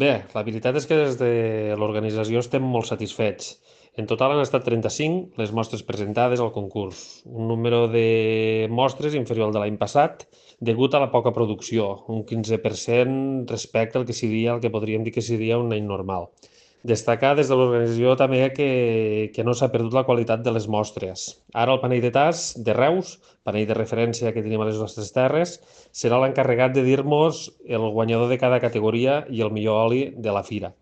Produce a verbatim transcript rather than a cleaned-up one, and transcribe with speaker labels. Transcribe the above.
Speaker 1: Bé, la veritat és que des de l'organització estem molt satisfets. En total han estat trenta-cinc les mostres presentades al concurs, un número de mostres inferior al de l'any passat, degut a la poca producció, un quinze per cent respecte al que seria el que podríem dir que seria un any normal. Destacar des de l'organització també que, que no s'ha perdut la qualitat de les mostres. Ara el panell de tas de Reus, panell de referència que tenim a les nostres terres, serà l'encarregat de dir-nos el guanyador de cada categoria i el millor oli de la fira.